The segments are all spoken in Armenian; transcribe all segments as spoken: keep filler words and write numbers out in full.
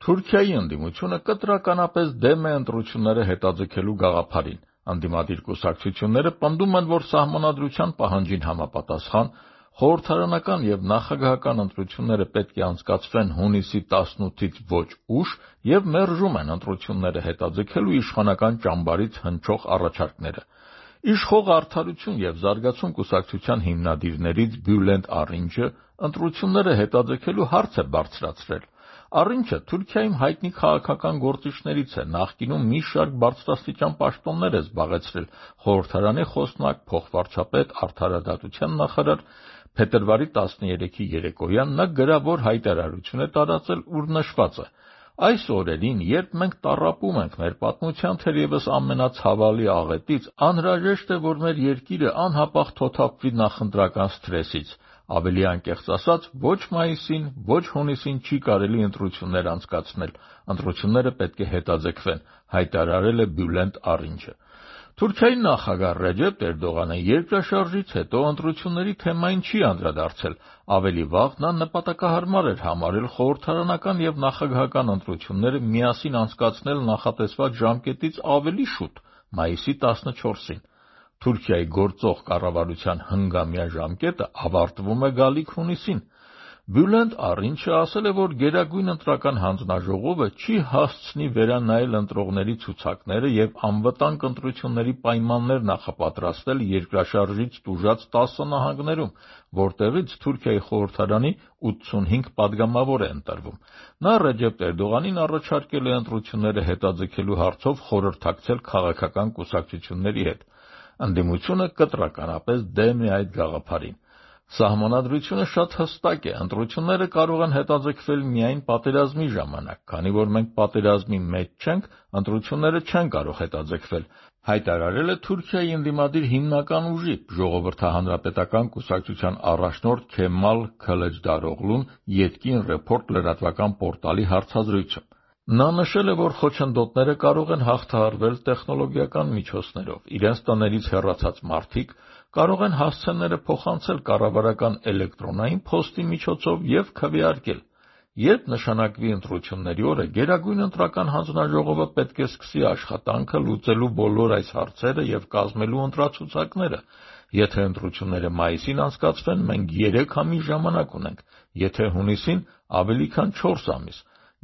Թուրքիայի ընդդիմությունը կտրականապես դեմ է ընտրությունները հետաձգելու գաղափարին։ Ընդդիմադիր կուսակցությունները պնդում են, որ Սահմանադրության պահանջին համապատասխան խորհրդարանական եւ նախագահական ընտրությունները պետք է անցկացվեն հունիսի տասնութից ոչ ուշ եւ մերժում են ընտրությունները հետաձգելու իշխանական ճամբարից հնչող առաջարկները։ Իշխող Արդարություն եւ Զարգացում կուսակցության հիմնադիրներից Բյուլենտ Արինչը ընտրությունները հետաձգելու հարց է բարձրացրել։ Արինչը Թուրքիայում հայտնի քաղաքական գործիչներից է, նախկինում մի շարք բարձրաստիճան պաշտոններ է զբաղեցրել՝ խորհրդարանի խոսնակ, փոխվարչապետ, արդարադատության նախարար։ Փետրվարի տասներեքի երեկոյան նա գրավոր հայտարարություն է տարածել, ուր նշված է. «Այս օրերին, երբ մենք տառապում ենք մեր պատմության թերևս ամենացավալի աղետից, անհրաժեշտ է, որ մեր երկիրը անհապաղ թոթափվի նախընտրական սթրեսից։ Ավելի անկեղծ ասած, ոչ մայիսին, ոչ հունիսին չի կարելի ընտրություններ անցկացնել, ընտրությունները պետք է հետաձգվեն», հայտարարել է Բյուլենտ Արինչը։ Թուրքիայի նախագահ Ռեջեփ Էրդողանը երկրաշարժից հետո ընտրությունների թեմային չի անդրադարձել։ Ավելի վաղ նա նպատակահարմար էր համարել խորհրդարանական եւ նախագահական ընտրությունները միասին անցկացնել նախատեսված ժամկետից ավելի շուտ՝ մայիսի տասնչորսին։ Թուրքիայի գործող կառավարության հնգամյա ժամկետը ավարտվում է գալիք հունիսին։ Բյուլենտ Արինչը ասել է, որ Գերագույն ընտրական հանձնաժողովը չի հասցնի վերանայել ընտրողների ցուցակները եւ անվտանգ ընտրությունների պայմաններ նախապատրաստել երկրաշարժից տուժած տասը նահանգներում, որտեղից Թուրքիայի խորհրդարանի ութսունհինգ падգամավոր է ընտրվում։ Նա Ռեջեփ Էրդողանին առաջարկել է ընտրությունները հետաձգելու հարցով խորհրդակցել քաղաքական կուսակցությունների հետ։ Ընդդիմությունը կտրականապես դեմ է այդ գաղափարին։ Սահմանադրությունը շատ հստակ է, ընտրությունները կարող են հետաձգվել միայն պատերազմի ժամանակ, քանի որ մենք պատերազմի մեջ չենք, ընտրությունները չեն կարող հետաձգվել, հայտարարել է Թուրքիայի ընդդիմադիր հիմնական ուժի՝ Ժողովրդահանրապետական կուսակցության առաջնորդ Քեմալ Քլեջդարօղլուն Ետկին Ռեպորտ լրատվական պորտալի հարցազրույցում։ Նա նշել է, որ խոչընդոտները կարող են հաղթահարվել տեխնոլոգիական միջոցներով։ Իրենց տներից հեռացած մարդիկ կարող են հասցեները փոխանցել կառավարական էլեկտրոնային փոստի միջոցով եւ քվեարկել։ Երբ նշանակվի ընտրությունների օրը, Գերագույն ընտրական հանձնաժողովը պետք է սկսի աշխատանքը լուծելու բոլոր այս հարցերը եւ կազմելու ընտրացուցակները։ Եթե ընտրությունները մայիսին անցկացվեն, մենք երեք ամիս ժամանակ ունենք, եթե հունիսին՝ ավելի քան չորս ամիս։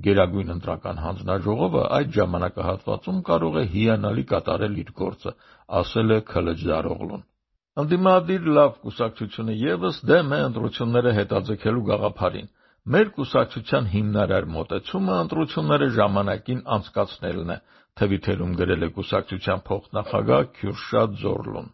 Գերագույն ընտրական հանձնաժողովը այդ ժամանակահատվածում կարող է հիանալի կատարել իր գործը, ասել է Քլեջդարօղլուն։ Ընդդիմադիր Լավ կուսակցությունը ևս դեմ է ընտրությունները հետաձգելու գաղափարին։ Մեր կուսակցության հիմնարար մոտեցումը ընտրությունները ժամանակին անցկացնելն է, թվիթերում գրել է կուսակցության փոխնախագահ Քյուրշադ Զորլուն։